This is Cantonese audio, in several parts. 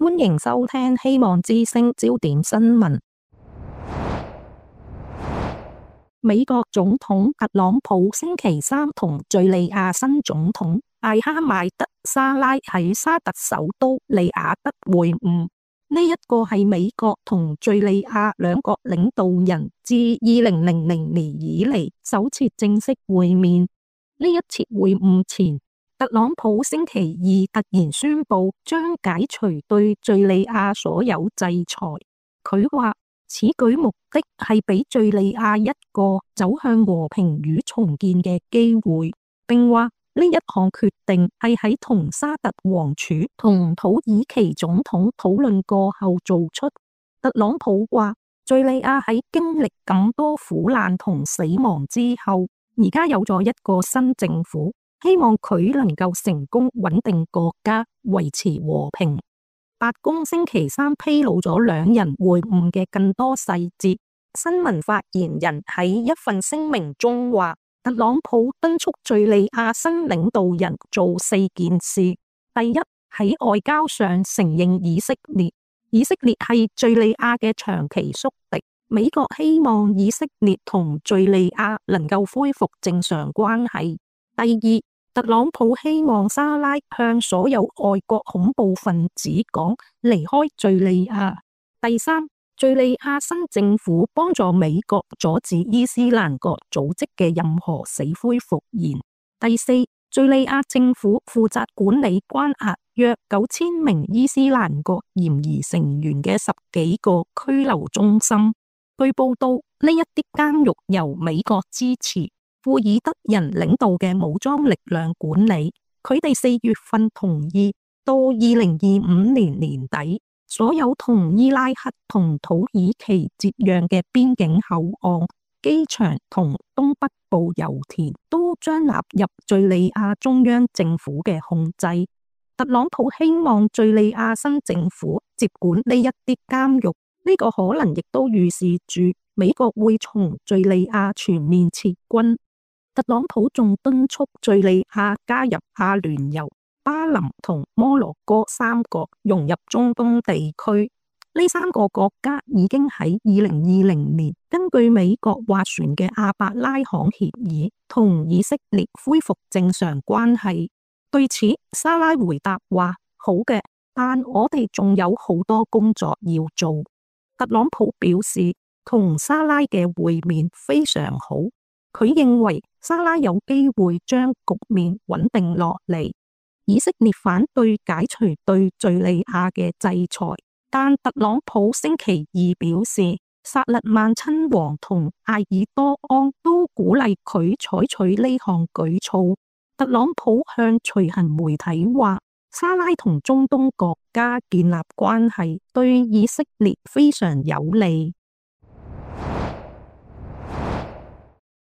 歡迎收聽希望之聲焦點新聞。美國總統特朗普星期三同敘利亞新總統艾哈邁德沙拉喺沙特首都利雅得會晤，呢一個係美國同敘利亞兩國領導人自2000年以嚟首次正式會面。呢一次會晤前，特朗普星期二突然宣布將解除對敘利亞所有制裁。佢話此舉目的係俾敘利亞一個走向和平與重建嘅機會，並話呢一項決定係喺同沙特王儲同土耳其總統討論過後做出。特朗普話敘利亞喺經歷咁多苦難同死亡之後，而家有咗一個新政府，希望佢能夠成功穩定國家，維持和平。白宮星期三披露咗兩人會晤嘅更多細節。新聞發言人喺一份聲明中話，特朗普敦促敘利亞新領導人做4件事。第一，喺外交上承認以色列。以色列係敘利亞嘅長期宿敵，美國希望以色列同敘利亞能夠恢復正常關係。第二，特朗普希望沙拉向所有外國恐怖分子講離開敘利亞。第三，敘利亞新政府幫助美國阻止伊斯蘭國組織嘅任何死灰復燃。第四，敘利亞政府負責管理關押約9000名伊斯蘭國嫌疑成員嘅10幾個拘留中心。據報道，呢一啲監獄由美國支持，庫爾德人領導嘅武裝力量管理。佢哋4月份同意到2025年年底，所有同伊拉克同土耳其接壤嘅邊境口岸、機場同東北部油田都將納入敘利亞中央政府嘅控制。特朗普希望敘利亞新政府接管呢一啲監獄，呢個可能亦都預示住美國會從敘利亞全面撤軍。特朗普仲敦促敘利亞加入阿聯酋、巴林同摩洛哥3國融入中東地區。呢3個國家已經喺2020年根據美國斡旋嘅阿伯拉罕協議同以色列恢復正常關係。對此，沙拉回答話：好嘅，但我哋仲有好多工作要做。特朗普表示，同沙拉嘅會面非常好。佢認為沙拉有機會將局面穩定落嚟。以色列反對解除對敘利亞嘅制裁，但特朗普星期二表示，薩勒曼親王同艾爾多安都鼓勵佢採取呢項舉措。特朗普向隨行媒體話，沙拉同中東國家建立關係對以色列非常有利。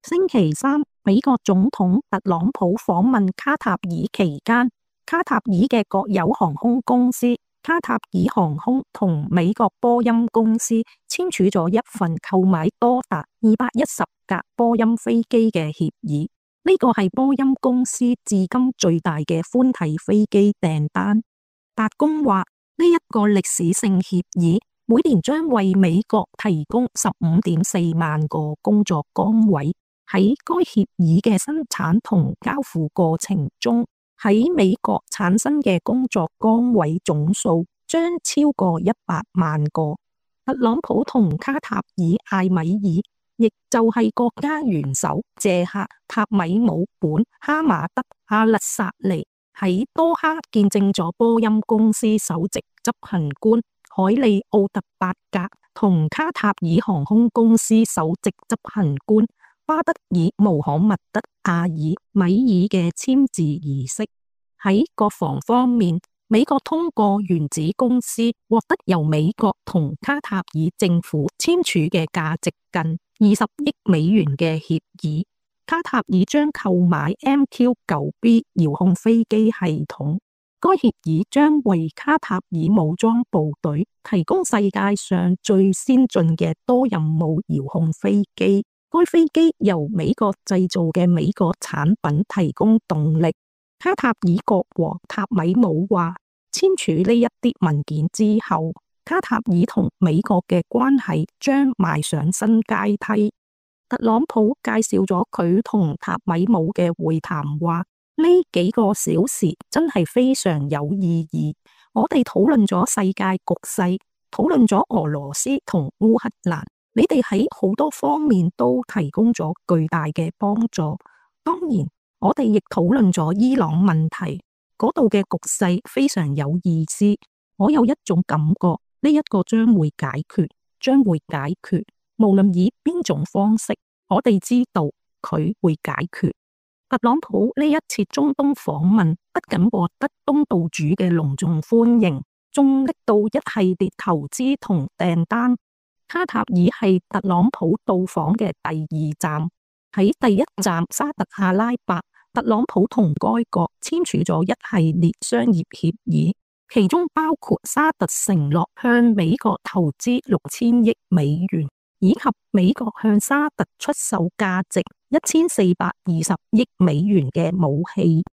星期三，美國總統特朗普訪問卡塔爾期間，卡塔爾嘅國有航空公司卡塔爾航空同美國波音公司簽署咗一份購買多達210架波音飛機嘅協議。呢個係波音公司至今最大嘅寬體飛機訂單。白宮話，呢一個歷史性協議每年將為美國提供15.4萬個工作崗位。喺該協議嘅生產同交付過程中，喺美國產生嘅工作崗位總數將超過100萬個。特朗普同卡塔爾艾米爾，亦就係國家元首謝克塔米姆本哈馬德阿勒薩尼喺多哈見證咗波音公司首席執行官海利奧特伯格同卡塔爾航空公司首席執行官巴德爾穆罕默德阿爾米爾嘅簽字儀式。喺國防方面，美國通過原子公司獲得由美國同卡塔爾政府簽署嘅價值近20億美元嘅協議。卡塔爾將購買 MQ-9B 遙控飛機系統。該協議將為卡塔爾武裝部隊提供世界上最先進嘅多任務遙控飛機。該飛機由美國製造嘅美國產品提供動力。卡塔爾國王塔米姆話，簽署呢一啲文件之後，卡塔爾同美國嘅關係將邁上新階梯。特朗普介紹咗佢同塔米姆嘅會談，話呢幾個小時真係非常有意義。我哋討論咗世界局勢，討論咗俄羅斯同烏克蘭，你哋喺好多方面都提供咗巨大嘅幫助。當然，我哋亦討論咗伊朗問題，嗰度嘅局勢非常有意思。我有一種感覺，呢一個將會解決。無論以邊種方式，我哋知道佢會解決。特朗普呢一次中東訪問不僅獲得東道主嘅隆重歡迎，仲拎到一系列投資同訂單。卡塔爾係特朗普到訪嘅第二站。喺第一站沙特阿拉伯，特朗普同該國簽署咗一系列商業協議，其中包括沙特承諾向美國投資6000億美元，以及美國向沙特出售價值1420億美元嘅武器。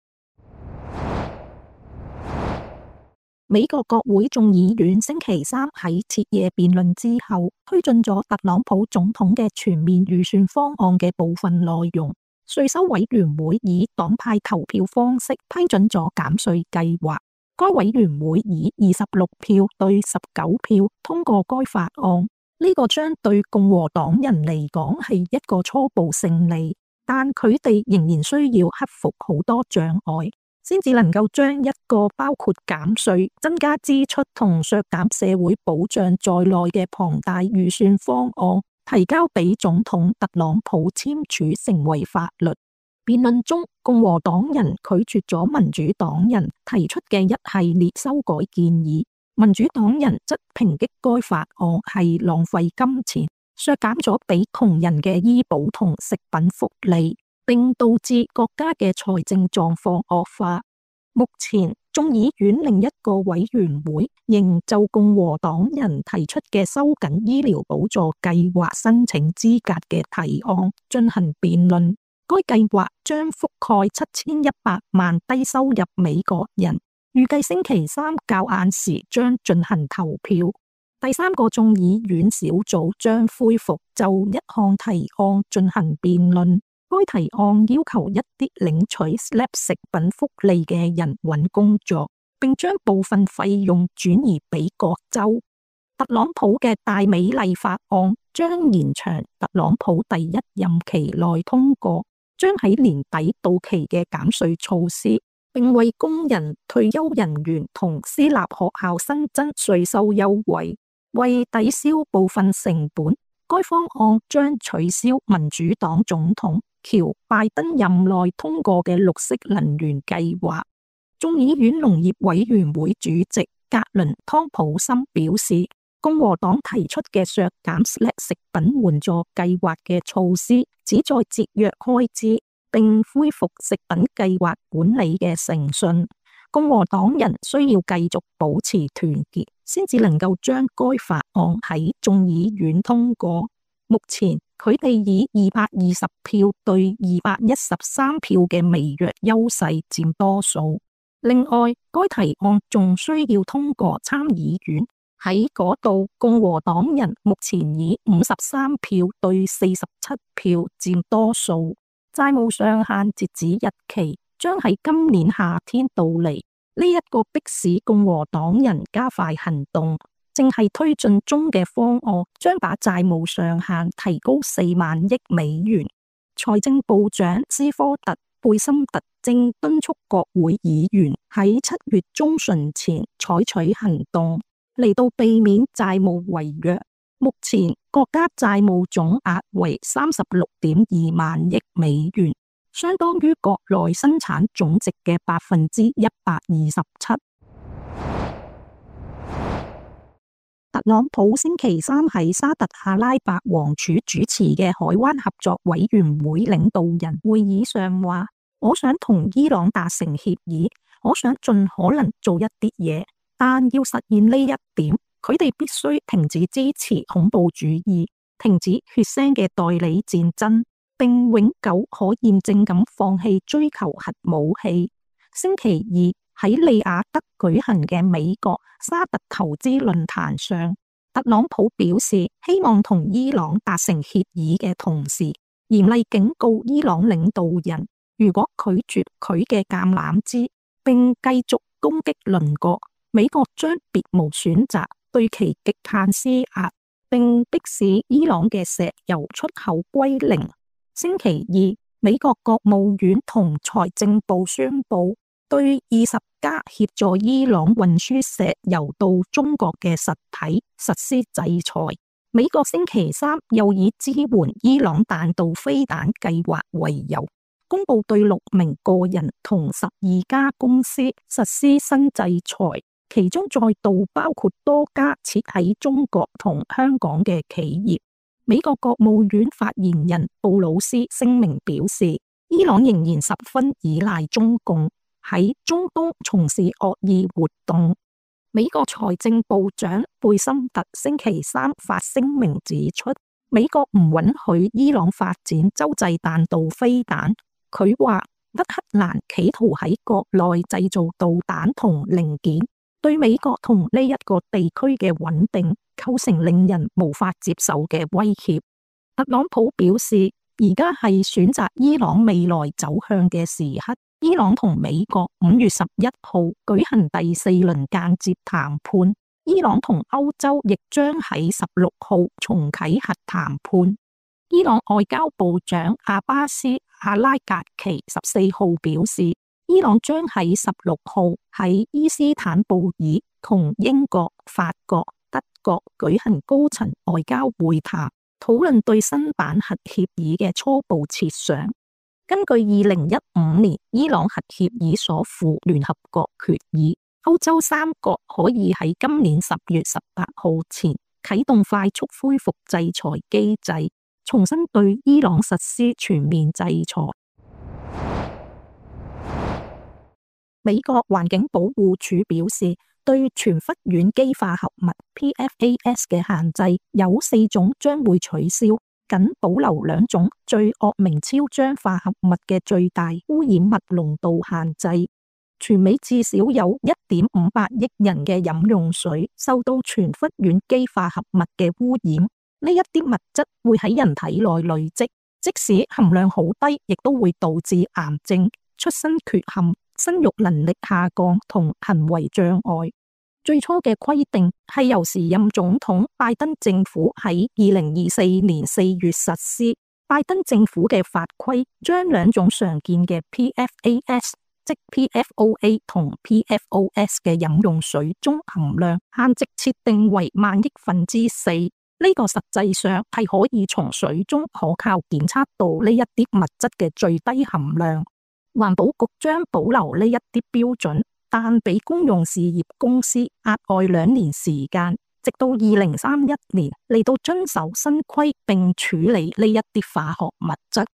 美國國會眾議院星期三喺徹夜辯論之後，推進咗特朗普總統嘅全面預算方案嘅部分內容。稅收委員會以黨派投票方式批准咗減稅計劃，該委員會以26票對19票通過該法案。呢個將對共和黨人嚟講係一個初步勝利，但佢哋仍然需要克服好多障礙，先至能夠將一個包括減稅、增加支出同削減社會保障在內嘅龐大預算方案提交俾總統特朗普簽署成為法律。辯論中，共和黨人拒絕咗民主黨人提出嘅一系列修改建議，民主黨人則抨擊該法案係浪費金錢，削減咗俾窮人嘅醫保同食品福利，並導致國家嘅財政狀況惡化。目前，眾議院另一個委員會仍就共和黨人提出嘅收緊醫療補助計劃申請資格嘅提案進行辯論。該計劃將覆蓋7100萬低收入美國人，預計星期三較晏時將進行投票。第三個眾議院小組將恢復就一項提案進行辯論。該提案要求一啲領取 SNAP 食品福利嘅人搵工作，並將部分費用轉移俾各州。特朗普嘅大美麗法案將延長特朗普第一任期內通過，將喺年底到期嘅減稅措施，並為工人、退休人員同私立學校新增稅收優惠，為抵消部分成本。該方案將取消民主黨總統喬拜登任內通過嘅綠色能源計劃。眾議院農業委員會主席格倫湯普森表示，共和黨提出嘅削減 SNAP 食品援助計劃嘅措施，旨在節約開支，並恢復食品計劃管理嘅誠信。共和黨人需要繼續保持團結，先至能夠將該法案喺眾議院通過。目前佢哋以220票對213票嘅微弱優勢佔多數。另外，該提案仲需要通過參議院，喺嗰度共和黨人目前以53票對47票佔多數。債務上限截止日期將喺今年夏天到嚟，呢一個迫使共和黨人加快行動。正係推進中嘅方案將把債務上限提高4萬億美元。財政部長斯科特貝森特正敦促國會議員喺7月中旬前採取行動，嚟到避免債務違約。目前國家債務總額為36.2萬億美元，相當於國內生產總值嘅127%。特朗普星期三喺沙特阿拉伯王儲主持嘅海灣合作委員會領導人會議上話，我想同伊朗達成協議，我想盡可能做一啲嘢，但要實現呢一點，佢哋必須停止支持恐怖主義，停止血腥嘅代理戰爭，並永久可驗證咁放棄追求核武器。星期二，喺利雅得舉行嘅美國沙特投資論壇上，特朗普表示希望同伊朗達成協議嘅同時，嚴厲警告伊朗領導人，如果拒絕佢嘅橄欖枝並繼續攻擊鄰國，美國將別無選擇對其極限施壓，並迫使伊朗嘅石油出口歸零。星期二，美國國務院同財政部宣布對20家協助伊朗運輸石油到中國嘅實體實施制裁。美國星期三又以支援伊朗彈道飛彈計劃為由，公布對6名個人同12家公司實施新制裁，其中再度包括多家設喺中國同香港嘅企業。美國國務院發言人布魯斯聲明表示，伊朗仍然十分依賴中共喺中東從事惡意活動。美國財政部長貝森特星期三發聲明指出，美國唔允許伊朗發展洲際彈道飛彈。佢話，德黑蘭企圖喺國內製造導彈同零件，對美國同呢一個地區嘅穩定構成令人無法接受嘅威脅。特朗普表示，而家係選擇伊朗未來走向嘅時刻。伊朗同美國5月11號舉行第4輪間接談判，伊朗同歐洲亦將喺16號重啟核談判。伊朗外交部長阿巴斯·阿拉格奇14號表示，伊朗將喺16號喺伊斯坦布爾同英國、法國、德國舉行高層外交會談，討論對新版核協議嘅初步設想。根據2015年伊朗核協議所附聯合國決議，歐洲3國可以喺今年10月18號前啟動快速恢復制裁機制，重新對伊朗實施全面制裁。美國環境保護署表示，對全氟烷基化合物 PFAS 嘅限制有4種將會取消，僅保留2種最惡名昭彰化合物嘅最大污染物濃度限制。全美至少有1.58億人嘅飲用水受到全氟烷基化合物嘅污染，呢一啲物質會喺人體內累積，即使含量好低，亦都會導致癌症、出生缺陷、生育能力下降同行為障礙。最初嘅規定係由時任總統拜登政府喺2024年4月實施。拜登政府嘅法規將2種常見嘅 PFAS， 即 PFOA 同 PFOS 嘅飲用水中含量限值設定為1,000,000,000,4。呢個實際上係可以從水中可靠檢測到呢一啲物質嘅最低含量。環保局將保留呢一啲標準，但俾公用事業公司額外2年時間，直到2031年嚟到遵守新規並處理呢一啲化學物質。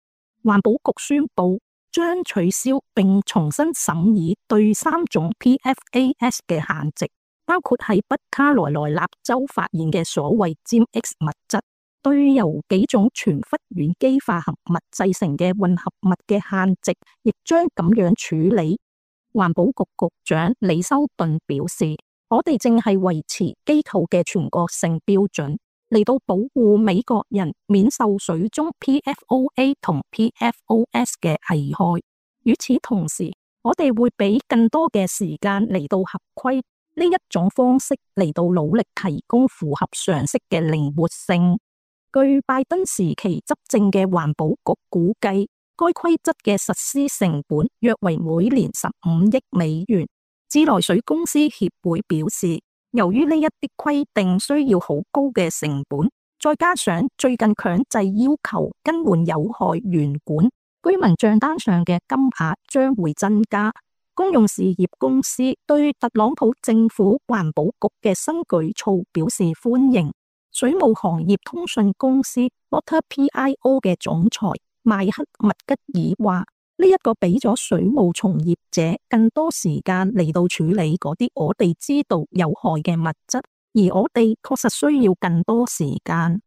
環保局宣布將取消並重新審議對3種 PFAS 嘅限值，包括喺北卡羅來納州發現嘅所謂尖 X 物質，對由幾種全氟烷基化合物製成嘅混合物嘅限值，亦將咁樣處理。環保局局長李修頓表示，我哋正係維持機構嘅全國性標準，嚟到保護美國人免受水中 PFOA 同 PFOS 嘅危害。與此同時，我哋會俾更多嘅時間嚟到合規，呢一種方式嚟到努力提供符合常識嘅靈活性。據拜登時期執政嘅環保局估計，該規則嘅實施成本約為每年15億美元。自來水公司協會表示，由於呢一啲規定需要好高嘅成本，再加上最近強制要求更換有害鉛管，居民賬單上嘅金額將會增加。公用事業公司對特朗普政府環保局嘅新舉措表示歡迎。水務行業通訊公司 WaterPIO 嘅總裁邁克麥吉爾話，呢一個俾咗水務從業者更多時間嚟到處理嗰啲我哋知道有害嘅物質，而我哋確實需要更多時間。